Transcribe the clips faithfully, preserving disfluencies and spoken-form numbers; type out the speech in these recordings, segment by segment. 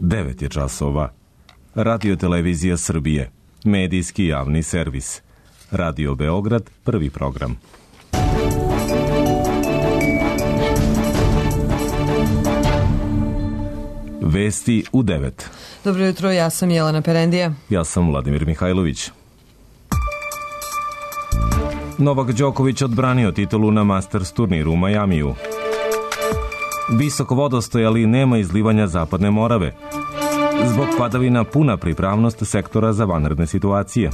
devet je časova. Radio Televizija Srbije, medijski javni servis. Radio Beograd, prvi program. Vesti u devet. Dobro jutro, ja sam Jelena Perendija. Ja sam Vladimir Mihajlović. Novak Đoković odbranio titulu na Masters turniru u Majamiju. Visok vodostaj, ali nema izlivanja Zapadne Morave. Zbog padavina puna pripravnost sektora za vanredne situacije.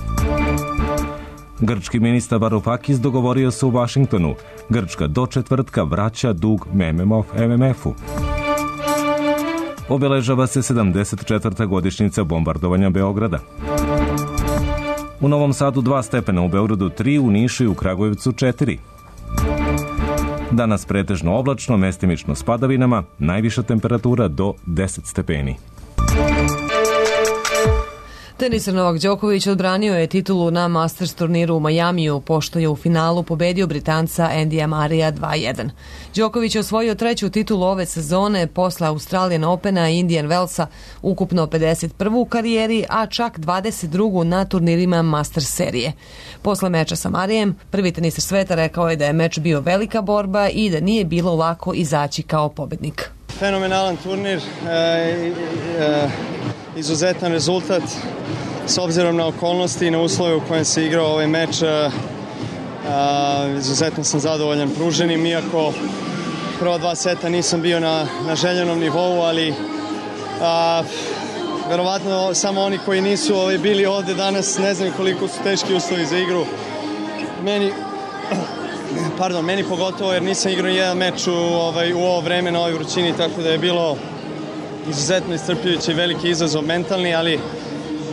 Grčki ministar Varoufakis dogovorio se u Vašingtonu. Grčka do četvrtka vraća dug M M F-u. Obeležava se sedamdeset četvrta godišnjica bombardovanja Beograda. U Novom Sadu dva stepena, u Beogradu tri, u Nišu i u Kragujevcu četiri. Danas pretežno oblačno, mestimično s padavinama, najviša temperatura do deset stepeni. Tenisar Novak Đoković odbranio je titulu na Masters turniru u Majamiju, pošto je u finalu pobedio Britanca Andyja Murraya dva jedan. Đoković je osvojio treću titulu ove sezone posle Australian Opena i Indian Wellsa, ukupno pedeset prvu u karijeri, a čak dvadeset drugu na turnirima Masters serije. Posle meča sa Murrayem, prvi tenisar sveta rekao je da je meč bio velika borba i da nije bilo lako izaći kao pobednik. Fenomenalan turnir, e, e, izuzetan rezultat s obzirom na okolnosti i na uslove u kojem se igrao ovaj meč. E, izuzetno sam zadovoljan pruženim, iako prva dva seta nisam bio na, na željenom nivou, ali a, verovatno samo oni koji nisu ovaj, bili ovde danas ne znaju koliko su teški uslovi za igru. Meni... Pardon, meni pogotovo jer nisam igrao jedan meč u, ovaj, u ovo vreme na ovoj vrućini, tako da je bilo izuzetno iscrpljujući i veliki izazov mentalni, ali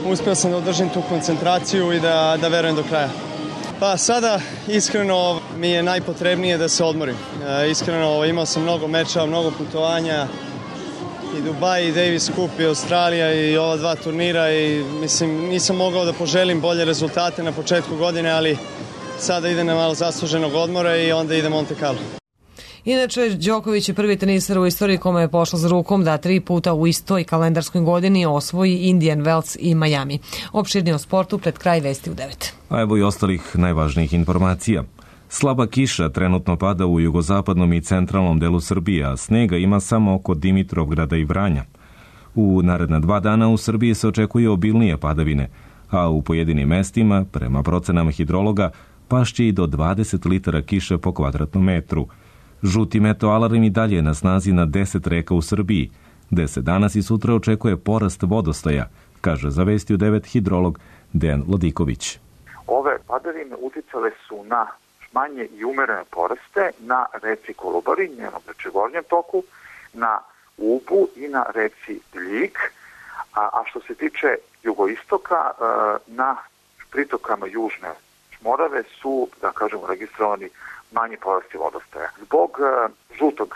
uspeo sam da održim tu koncentraciju i da, da verujem do kraja. Pa sada iskreno mi je najpotrebnije da se odmorim. E, iskreno imao sam mnogo meča, mnogo putovanja, i Dubaj, i Davis Cup, i Australija, i ova dva turnira, i mislim nisam mogao da poželim bolje rezultate na početku godine, ali sada ide na malo zasluženog odmora i onda ide Monte Carlo. Inače, Đoković je prvi tenisar u istoriji kome je pošlo za rukom da tri puta u istoj kalendarskoj godini osvoji Indian Wells i Miami. Opširnije o sportu pred kraj vesti u devet. A evo i ostalih najvažnijih informacija. Slaba kiša trenutno pada u jugozapadnom i centralnom delu Srbije, a snega ima samo oko Dimitrovgrada i Vranja. U naredna dva dana u Srbiji se očekuje obilnije padavine, a u pojedinim mestima, prema procenama hidrologa, pašće i do dvadeset litara kiše po kvadratnom metru. Žuti meteoalarm i dalje je na snazi na deset reka u Srbiji, gde se danas i sutra očekuje porast vodostaja, kaže za Vesti u devet hidrolog Dejan Lodiković. Ove padavine uticale su na manje i umerene poraste na reci Kolubari, njenom znači gornjem toku, na Ubu i na reci Ljig, a, a što se tiče jugoistoka, na pritokama južne Morave su, da kažemo, registrovani manji porasti vodostaja. Zbog uh, žutog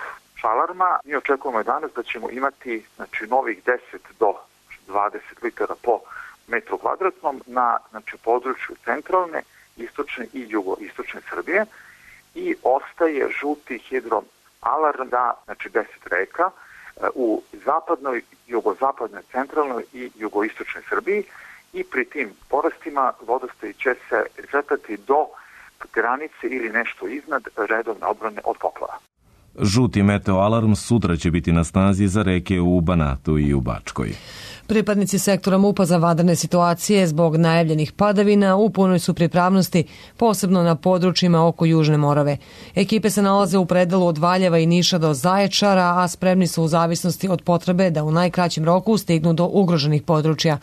alarma mi očekujemo danas da ćemo imati znači, novih deset do dvadeset litara po metru kvadratnom na znači, području centralne, istočne i jugoistočne Srbije i ostaje žuti hidroalarm na znači, deset reka uh, u zapadnoj, jugozapadnoj, centralnoj i jugoistočnoj Srbiji. I pri tim porastima vodostaj će se kretati do granice ili nešto iznad redovne odbrane od poplava. Žuti meteoalarm sutra će biti na snazi za reke u Banatu i u Bačkoj. Pripadnici sektora MUP-a za vanredne situacije zbog najavljenih padavina u punoj su pripravnosti, posebno na područjima oko Južne Morave. Ekipe se nalaze u predelu od Valjeva i Niša do Zaječara, a spremni su u zavisnosti od potrebe da u najkraćem roku stignu do ugroženih područja.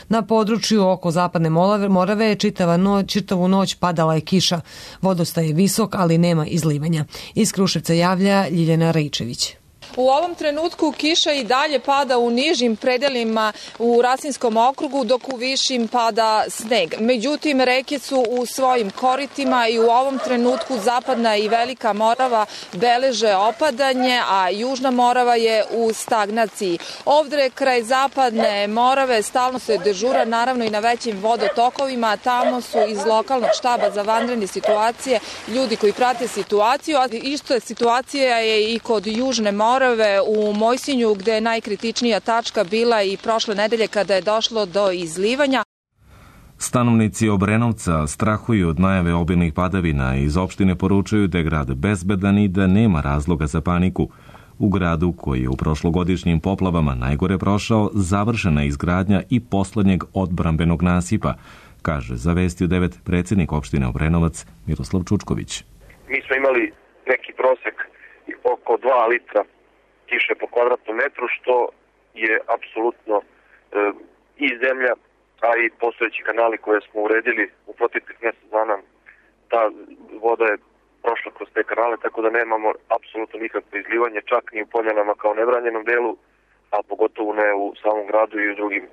Na području oko Zapadne Morave čitava noć, čitavu noć padala je kiša. Vodostaj je visok, ali nema izlivanja. Iz Kruševca javlja Ljiljana Raičević. U ovom trenutku kiša i dalje pada u nižim predelima u Rasinskom okrugu, dok u višim pada sneg. Međutim, reke su u svojim koritima i u ovom trenutku Zapadna i Velika Morava beleže opadanje, a Južna Morava je u stagnaciji. Ovdje kraj Zapadne Morave stalno se dežura, naravno i na većim vodotokovima. Tamo su iz lokalnog štaba za vanredne situacije ljudi koji prate situaciju, a isto je situacija je i kod Južne Morave. Morave u Mojsinju, gde je najkritičnija tačka bila i prošle nedelje kada je došlo do izlivanja. Stanovnici Obrenovca strahuju od najave obilnih padavina i iz opštine poručuju da je grad bezbedan i da nema razloga za paniku. U gradu, koji je u prošlogodišnjim poplavama najgore prošao, završena je izgradnja i poslednjeg odbrambenog nasipa, kaže za Vesti u devet predsjednik opštine Obrenovac Miroslav Čučković. Mi smo imali neki prosek oko dva litra kiše po kvadratnom metru, što je apsolutno e, i zemlja, a i postojeći kanali koje smo uredili u proteklih mjesec dana, ta voda je prošla kroz te kanale, tako da nemamo apsolutno nikakvo izlivanje, čak ni u Poljanama kao nebranjenom delu, a pogotovo ne u samom gradu i u drugim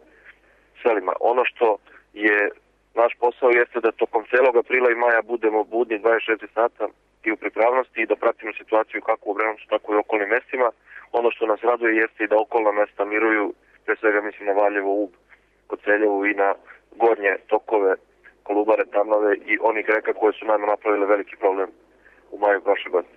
selima. Ono što je naš posao jeste da tokom celog aprila i maja budemo budni dvadeset četiri sata i u pripravnosti i da pratimo situaciju kako u Obrenovcu, tako i u okolnim mestima. Ono što nas raduje jeste i da okolna mesta miruju, pre svega mislim na Valjevo, Ub, Koceljevu i na gornje tokove Kolubare, Tamnave i onih reka koje su nama napravile veliki problem u maju prošle godine.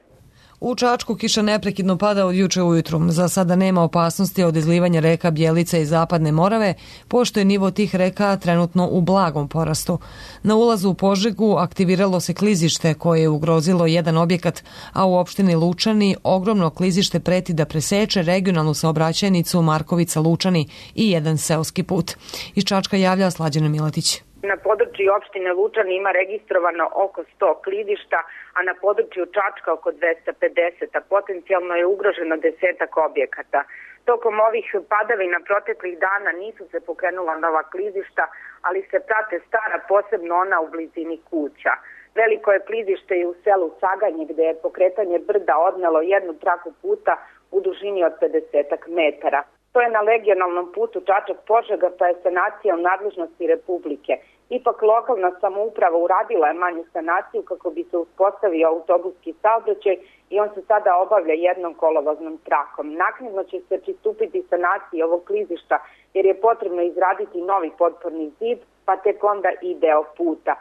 U Čačku kiša neprekidno pada od juče ujutru. Za sada nema opasnosti od izlivanja reka Bjelica i Zapadne Morave, pošto je nivo tih reka trenutno u blagom porastu. Na ulazu u Požegu aktiviralo se klizište koje je ugrozilo jedan objekat, a u opštini Lučani ogromno klizište preti da preseče regionalnu saobraćajnicu Markovica-Lučani i jedan seoski put. Iz Čačka javlja Slađana Milatić. Na području opštine Lučani ima registrovano oko sto klizišta, a na području Čačka oko dvesta pedeset, a potencijalno je ugroženo desetak objekata. Tokom ovih padavina proteklih dana nisu se pokrenula nova klizišta, ali se prate stara, posebno ona u blizini kuća. Veliko je klizište i u selu Saganje, gde je pokretanje brda odnelo jednu traku puta u dužini od pedesetak metara. To je na regionalnom putu Čačak-Požega, pa je sanacija u nadležnosti Republike. Ipak lokalna samouprava uradila je manju sanaciju kako bi se uspostavio autobuski saobraćaj i on se sada obavlja jednom kolovoznom trakom. Naknadno će se pristupiti sanaciji ovog klizišta jer je potrebno izraditi novi potporni zid, pa tek onda i deo puta.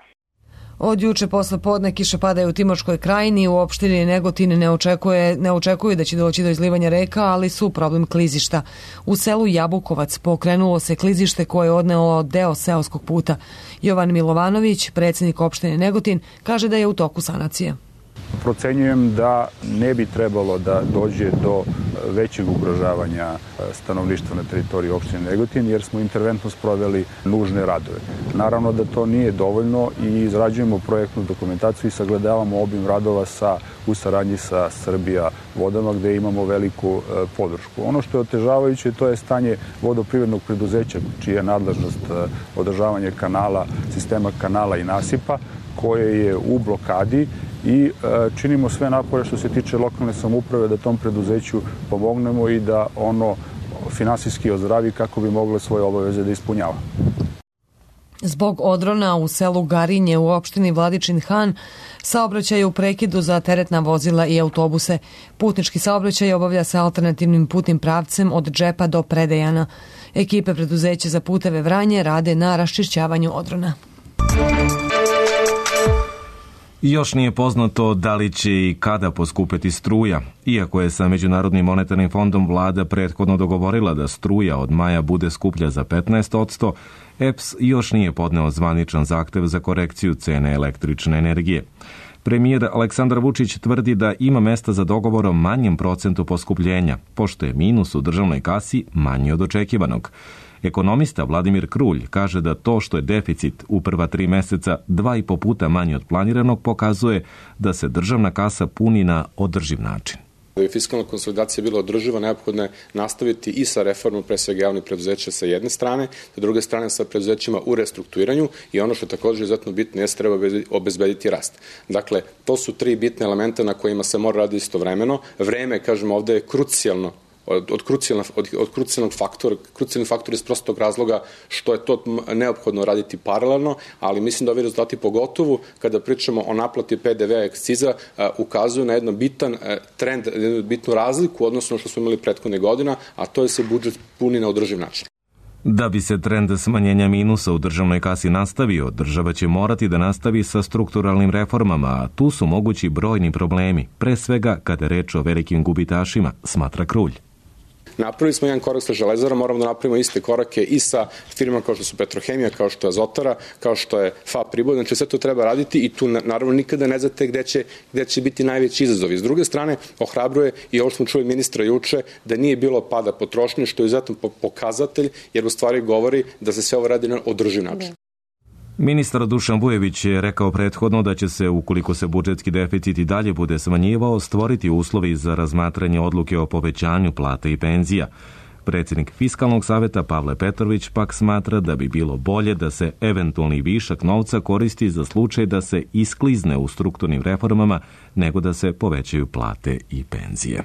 Od juče posle podne kiše padaju u Timočkoj krajini, u opštini Negotin ne očekuje, ne očekuju da će doći do izlivanja reka, ali su problem klizišta. U selu Jabukovac pokrenulo se klizište koje je odnelo deo seoskog puta. Jovan Milovanović, predsjednik opštine Negotin, kaže da je u toku sanacije. Procenjujem da ne bi trebalo da dođe do većeg ugrožavanja stanovništva na teritoriji opštine Negotin, jer smo interventno sproveli nužne radove. Naravno da to nije dovoljno i izrađujemo projektnu dokumentaciju i sagledavamo obim radova sa, u saradnji sa Srbija vodama, gde imamo veliku podršku. Ono što je otežavajuće, to je stanje vodoprivrednog preduzeća, čija je nadležnost održavanje kanala, sistema kanala i nasipa, koje je u blokadi, i činimo sve napore što se tiče lokalne samouprave da tom preduzeću pomognemo i da ono finansijski ozdravi kako bi moglo svoje obaveze da ispunjava. Zbog odrona u selu Garinje u opštini Vladičin Han saobraćaj u prekidu za teretna vozila i autobuse. Putnički saobraćaj obavlja se alternativnim putnim pravcem od Džepa do Predejana. Ekipe preduzeća za puteve Vranje rade na raščišćavanju odrona. Još nije poznato da li će i kada poskupeti struja. Iako je sa Međunarodnim monetarnim fondom vlada prethodno dogovorila da struja od maja bude skuplja za petnaest posto, E P S još nije podneo zvaničan zahtev za korekciju cene električne energije. Premijer Aleksandar Vučić tvrdi da ima mesta za dogovor o manjem procentu poskupljenja, pošto je minus u državnoj kasi manji od očekivanog. Ekonomista Vladimir Krulj kaže da to što je deficit u prva tri meseca dva i po puta manji od planiranog pokazuje da se državna kasa puni na održiv način. Da bi fiskalna konsolidacija bila održiva, neophodno je nastaviti i sa reformom pre svega javnih preduzeća sa jedne strane, sa druge strane sa preduzećima u restrukturiranju i ono što je također izuzetno bitno jeste treba obezbediti rast. Dakle, to su tri bitne elementa na kojima se mora raditi istovremeno. Vreme, kažemo, ovde je krucijalno od, od, krucijalnog, od, od krucijalnog faktora, krucijalni faktor iz prostog razloga što je to neophodno raditi paralelno, ali mislim da ovi rezultati pogotovo kada pričamo o naplati P D V-a i akciza ukazuju na jedan bitan trend, jednu bitnu razliku odnosno što smo imali prethodne godina, a to je se budžet puni na održiv način. Da bi se trend smanjenja minusa u državnoj kasi nastavio, država će morati da nastavi sa strukturalnim reformama, a tu su mogući brojni problemi, pre svega kada je reč o velikim gubitašima, smatra Krulj. Napravili smo jedan korak sa Železarom, moramo da napravimo iste korake i sa firmama kao što su Petrohemija, kao što je Azotara, kao što je F A P Priboj, znači sve to treba raditi i tu naravno nikada ne znate gde će, gde će biti najveći izazovi. S druge strane, ohrabruje i ovo smo čuli ministra juče, da nije bilo pada potrošnje, što je izuzetan pokazatelj, jer u stvari govori da se sve ovo radi na održiv način. Ministar Dušan Vujović je rekao prethodno da će se, ukoliko se budžetski deficit i dalje bude smanjivao, stvoriti uslovi za razmatranje odluke o povećanju plata i penzija. Predsjednik Fiskalnog saveta Pavle Petrović pak smatra da bi bilo bolje da se eventualni višak novca koristi za slučaj da se isklizne u strukturnim reformama nego da se povećaju plate i penzije.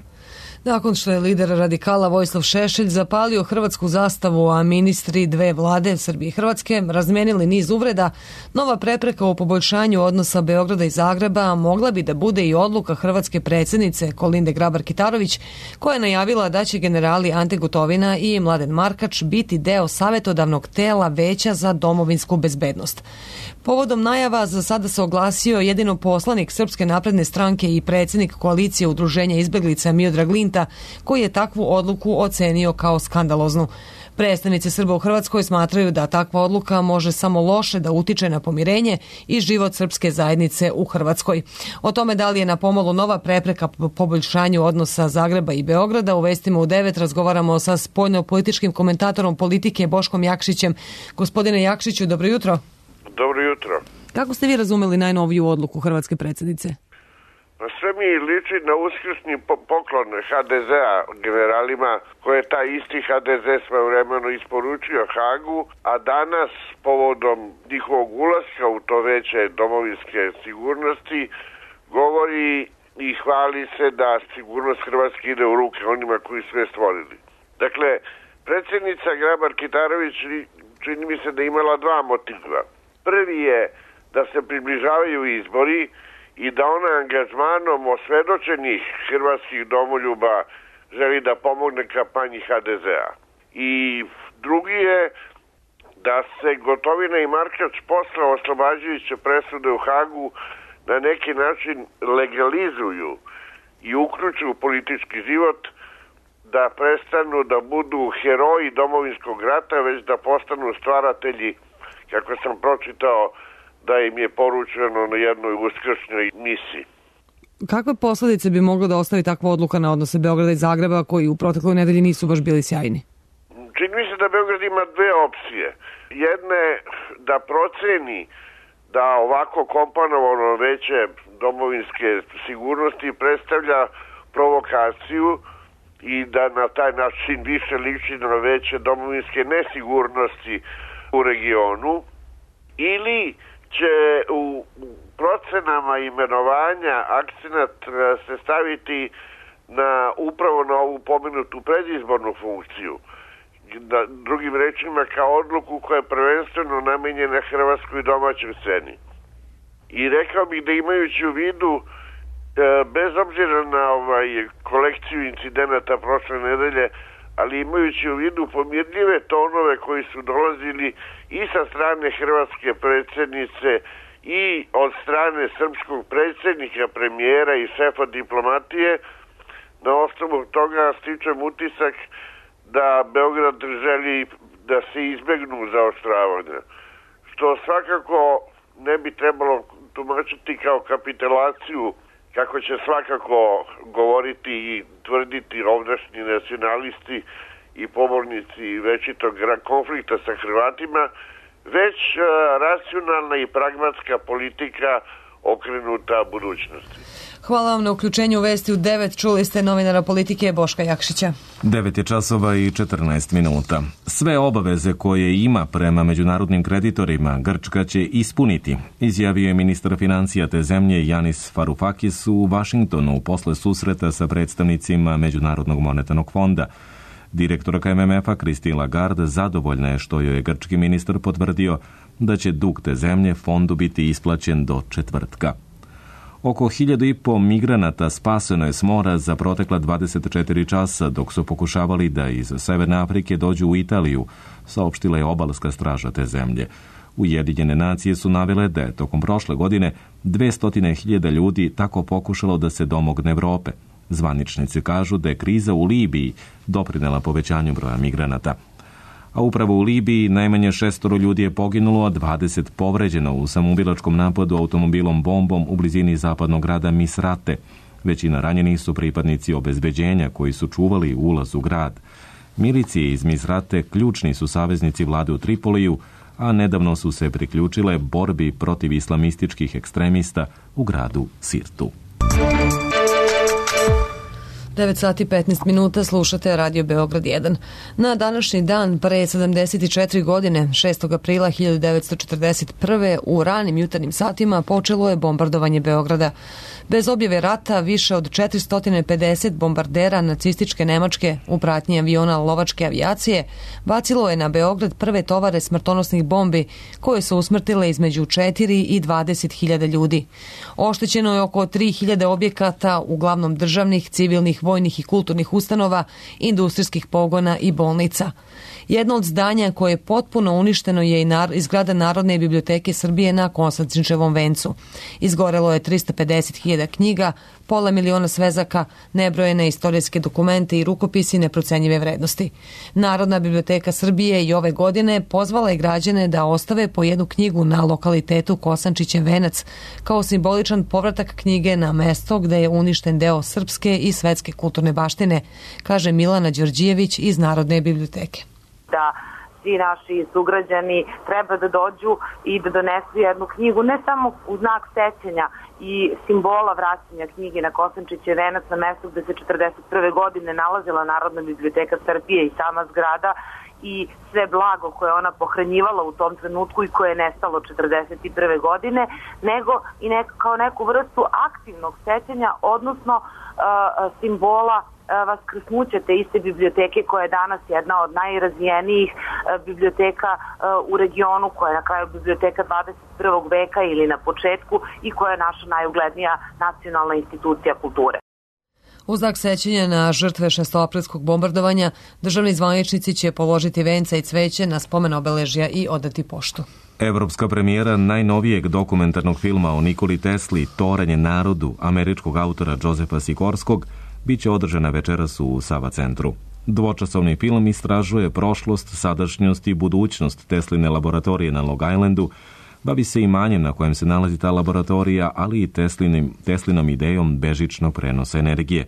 Nakon što je lider radikala Vojislav Šešelj zapalio hrvatsku zastavu, a ministri dve vlade Srbije i Hrvatske razmenili niz uvreda, nova prepreka u poboljšanju odnosa Beograda i Zagreba mogla bi da bude i odluka hrvatske predsjednice Kolinde Grabar-Kitarović, koja je najavila da će generali Ante Gotovina i Mladen Markač biti deo savjetodavnog tela Veća za domovinsku bezbednost. Povodom najava za sada se oglasio jedino poslanik Srpske napredne stranke i predsjednik koalicije udruženja izbeglica Miodrag Linta, koji je takvu odluku ocenio kao skandaloznu. Predstavnici Srba u Hrvatskoj smatraju da takva odluka može samo loše da utiče na pomirenje i život srpske zajednice u Hrvatskoj. O tome da li je na pomolu nova prepreka poboljšanju odnosa Zagreba i Beograda, u Vestima u devet razgovaramo sa spoljno-političkim komentatorom politike Boškom Jakšićem. Gospodine Jakšiću, dobro jutro. Dobro jutro. Kako ste vi razumeli najnoviju odluku hrvatske predsjednice? Pa sve mi liči na uskrsni poklon ha de zea generalima koje je taj isti ha de ze svojevremeno isporučio Hagu, a danas povodom njihovog ulaska u to veće domovinske sigurnosti govori i hvali se da sigurnost Hrvatske ide u ruke onima koji sve stvorili. Dakle, predsjednica Grabar-Kitarović čini mi se da imala dva motiva. Prvi je da se približavaju izbori i da ona angažmanom osvedočenih hrvatskih domoljuba želi da pomogne kampanji ha de zea. I drugi je da se Gotovina i Markač posle oslobađajuće presude u Hagu na neki način legalizuju i uključuju u politički život, da prestanu da budu heroji domovinskog rata, već da postanu stvaratelji, kako sam pročitao, da im je poručeno na jednoj uskršnjoj misiji. Kakve posledice bi moglo da ostavi takva odluka na odnose Beograda i Zagreba, koji u protekloj nedelji nisu baš bili sjajni? Čini mi se da Beograd ima dve opcije. Jedna je da proceni da ovako komponovano veće domovinske sigurnosti predstavlja provokaciju i da na taj način više liči na veće domovinske nesigurnosti u regionu, ili će u procenama imenovanja akcenat se staviti na upravo na ovu pomenutu predizbornu funkciju. Da, drugim rečima, kao odluku koja je prvenstveno namenjena hrvatskoj domaćoj sceni. I rekao bih da imajući u vidu, bez obzira na ovaj kolekciju incidenata prošle nedelje, ali imajući u vidu pomirljive tonove koji su dolazili i sa strane hrvatske predsjednice i od strane srpskog predsjednika, premijera i šefa diplomatije, na osnovu toga stičem utisak da Beograd želi da se izbegnu zaoštravanja, što svakako ne bi trebalo tumačiti kao kapitulaciju, kako će svakako govoriti i tvrditi ovdašnji nacionalisti i pobornici večitog konflikta sa Hrvatima, već racionalna i pragmatska politika okrenuta budućnosti. Hvala vam na uključenju u Vesti u devet. Čuli ste novinara politike Boška Jakšića. devet je časova i četrnaest minuta. Sve obaveze koje ima prema međunarodnim kreditorima Grčka će ispuniti, izjavio je ministar financija te zemlje Janis Varoufakis u Vašingtonu posle susreta sa predstavnicima Međunarodnog monetarnog fonda. Direktorka em em efa Christine Lagarde zadovoljna je što joj je grčki ministar potvrdio da će dug te zemlje fondu biti isplaćen do četvrtka. Oko hiljadu i po migranata spaseno je s mora za protekla dvadeset četiri časa dok su pokušavali da iz Severne Afrike dođu u Italiju, saopštila je obalska straža te zemlje. Ujedinjene nacije su navele da je tokom prošle godine dvesta hiljada ljudi tako pokušalo da se domogne Evrope. Zvaničnici kažu da je kriza u Libiji doprinela povećanju broja migranata. A upravo u Libiji najmanje šestoro ljudi je poginulo, a dvadeset povređeno u samoubilačkom napadu automobilom bombom u blizini zapadnog grada Misrate. Većina ranjenih su pripadnici obezbeđenja koji su čuvali ulaz u grad. Milicije iz Misrate ključni su saveznici vlade u Tripoliju, a nedavno su se priključile borbi protiv islamističkih ekstremista u gradu Sirtu. devet sati petnaest minuta, slušate Radio Beograd jedan. Na današnji dan, pre sedamdeset četiri godine, šestog aprila hiljadu devetsto četrdeset prve. u ranim jutarnjim satima počelo je bombardovanje Beograda. Bez objave rata, više od četiristo pedeset bombardera nacističke Nemačke u pratnji aviona lovačke avijacije bacilo je na Beograd prve tovare smrtonosnih bombi koje su usmrtile između četiri i dvadeset hiljada ljudi. Oštećeno je oko tri hiljade objekata, uglavnom državnih, civilnih, vojnih i kulturnih ustanova, industrijskih pogona i bolnica. Jedno od zdanja koje je potpuno uništeno je i nar- izgrada Narodne biblioteke Srbije na Konstantinčevom vencu. Izgorelo je trista pedeset hiljada knjiga, pola miliona svezaka, nebrojene istorijske dokumente i rukopisi neprocenjive vrednosti. Narodna biblioteka Srbije i ove godine pozvala je građane da ostave po jednu knjigu na lokalitetu Kosančićev venac kao simboličan povratak knjige na mesto gde je uništen deo srpske i svetske kulturne baštine, kaže Milana Đorđijević iz Narodne biblioteke. Da svi naši sugrađani treba da dođu i da donesu jednu knjigu, ne samo u znak sećanja i simbola vraćanja knjige na Kosančićev venac, na mesto gde se četrdeset prve godine nalazila Narodna biblioteka Srbije i sama zgrada i sve blago koje ona pohranjivala u tom trenutku i koje je nestalo četrdeset prve godine, nego i nek, kao neku vrstu aktivnog sećanja, odnosno uh, simbola vaskrsnuća te iste biblioteke koja je danas jedna od najrazvijenijih biblioteka u regionu, koja je na kraju biblioteka dvadeset prvog veka ili na početku i koja je naša najuglednija nacionalna institucija kulture. U znak sećanja na žrtve šestoaprilskog bombardovanja, državni zvaničnici će položiti venca i cveće na spomen obeležja i odati poštu. Evropska premijera najnovijeg dokumentarnog filma o Nikoli Tesli, Toranj narodu, američkog autora Josefa Sikorskog, biće održana večeras u Sava centru. Dvočasovni film istražuje prošlost, sadašnjost i budućnost Tesline laboratorije na Long Islandu, bavi se imanjem na kojem se nalazi ta laboratorija, ali i Teslinim, Teslinom idejom bežičnog prenosa energije.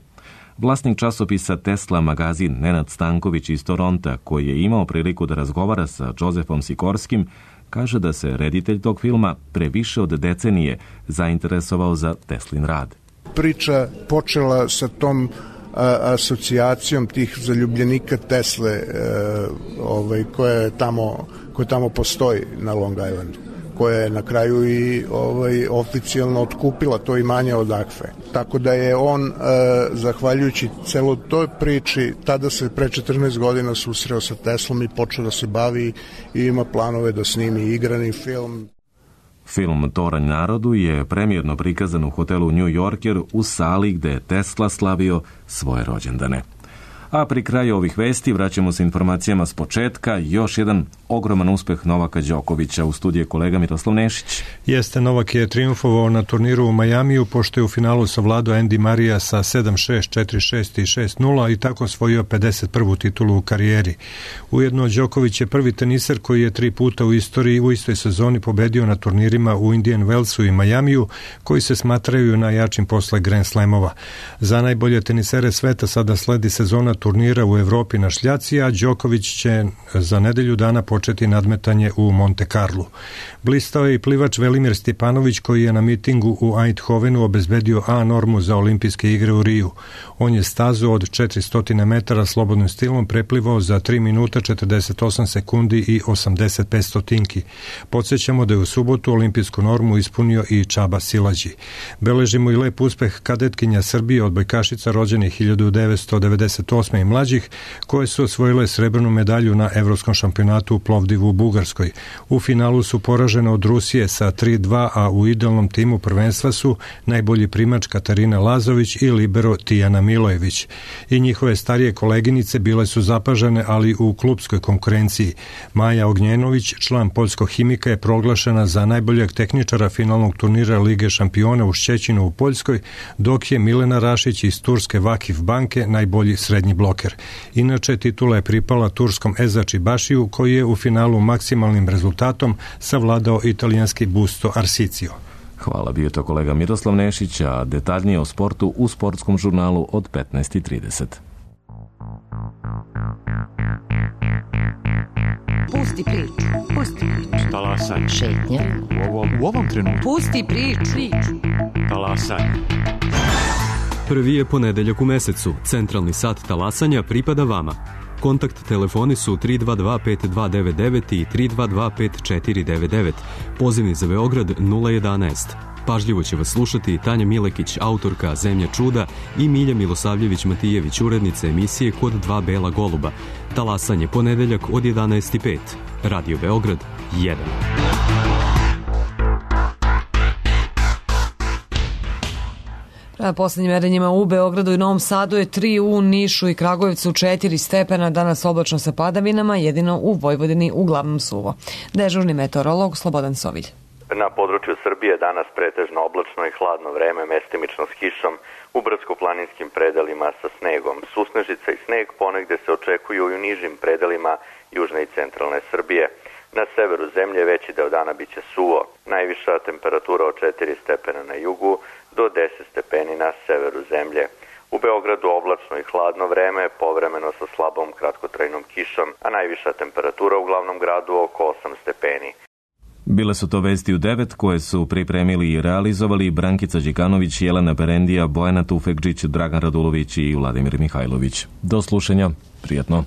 Vlasnik časopisa Tesla magazin Nenad Stanković iz Toronta, koji je imao priliku da razgovara sa Josefom Sikorskim, kaže da se reditelj tog filma pre više od decenije zainteresovao za Teslin rad. Priča počela sa tom a, asocijacijom tih zaljubljenika Tesle a, ovaj, koja tamo, koja tamo postoji na Long Islandu, koja je na kraju i ovaj, oficijalno otkupila to imanje od Akfe. Tako da je on, a, zahvaljujući celoj toj priči, tada se pre četrnaest godina susreo sa Teslom i počeo da se bavi i ima planove da snimi igrani film. Film Toranj narodu je premijerno prikazan u hotelu New Yorker u sali gde je Tesla slavio svoje rođendane. A pri kraju ovih vesti vraćamo se informacijama s početka. Još jedan ogroman uspeh Novaka Đokovića. U studiju kolega Miroslav Nešić. Jeste, Novak je triumfovao na turniru u Majamiju, pošto je u finalu savladao Andy Marija sa sedam šest, četiri šest i šest nula i tako osvojio pedeset prvu titulu u karijeri. Ujedno, Đoković je prvi teniser koji je tri puta u istoriji u istoj sezoni pobedio na turnirima u Indian Wellsu i Majamiju, koji se smatraju najjačim posle Grand Slamova. Za najbolje tenisere sveta sada sledi sezona turnira u Evropi na šljaci, a Đoković će za nedelju dana početi nadmetanje u Monte Carlu. Blistao je i plivač Velimir Stjepanović, koji je na mitingu u Eindhovenu obezbedio A normu za olimpijske igre u Riju. On je stazu od četiristo metara slobodnim stilom preplivao za tri minuta četrdeset osam sekundi i osamdeset pet stotinki. Podsjećamo da je u subotu olimpijsku normu ispunio i Čaba Silađi. Beležimo i lep uspeh kadetkinja Srbije, odbojkašica rođenih hiljadu devetsto devedeset osme osme i mlađih, koje su osvojile srebrnu medalju na Evropskom šampionatu u Plovdivu u Bugarskoj. U finalu su poražene od Rusije sa tri dva, a u idealnom timu prvenstva su najbolji primač Katarina Lazović i libero Tijana Milojević. I njihove starije koleginice bile su zapažene, ali u klupskoj konkurenciji. Maja Ognjenović, član poljskog Himika, je proglašena za najboljeg tehničara finalnog turnira Lige šampiona u Šćećinu u Poljskoj, dok je Milena Rašić iz turske Vakif banke najbolji srednji bloker. Inače, titula je pripala turskom Ezači Bašiju, koji je u finalu maksimalnim rezultatom savladao italijanski Busto Arsicio. Hvala, bio to kolega Miroslav Nešić, a detaljnije o sportu u sportskom žurnalu od petnaest i trideset. Pusti priču, pusti priču. Talasaj. Šetnja. U ovom, u ovom trenutku. Pusti priču. Talasaj. Prvi je ponedeljak u mesecu. Centralni sat talasanja pripada vama. Kontakt telefoni su tri dva dva pet dva devet devet i tri dva dva pet četiri devet devet. Pozivni za Beograd nula jedanaest. Pažljivo će vas slušati Tanja Milekić, autorka Zemlja čuda, i Milja Milosavljević-Matijević, urednica emisije Kod dva bela goluba. Talasanje ponedeljak od jedanaest i pet. Radio Beograd jedan. Prema poslednjim merenjima u Beogradu i Novom Sadu je tri, u Nišu i Kragujevcu četiri stepena, danas oblačno sa padavinama, jedino u Vojvodini uglavnom suvo. Dežurni meteorolog Slobodan Sovilj. Na području Srbije danas pretežno oblačno i hladno vreme, mestimično s kišom, u brdsko-planinskim predelima sa snegom. Susnežica i sneg ponegde se očekuju i u nižim predelima južne i centralne Srbije. Na severu zemlje veći deo dana biće suvo. Najviša temperatura od četiri stepena na jugu do deset stepeni na severu zemlje. U Beogradu oblačno i hladno vreme, povremeno sa slabom kratkotrajnom kišom, a najviša temperatura u glavnom gradu oko osam stepeni. Bile su to vesti u devet koje su pripremili i realizovali Brankica Đikanović, Jelena Berendija, Bojana Tufekđić, Dragan Radulović i Vladimir Mihajlović. Do slušanja, prijatno.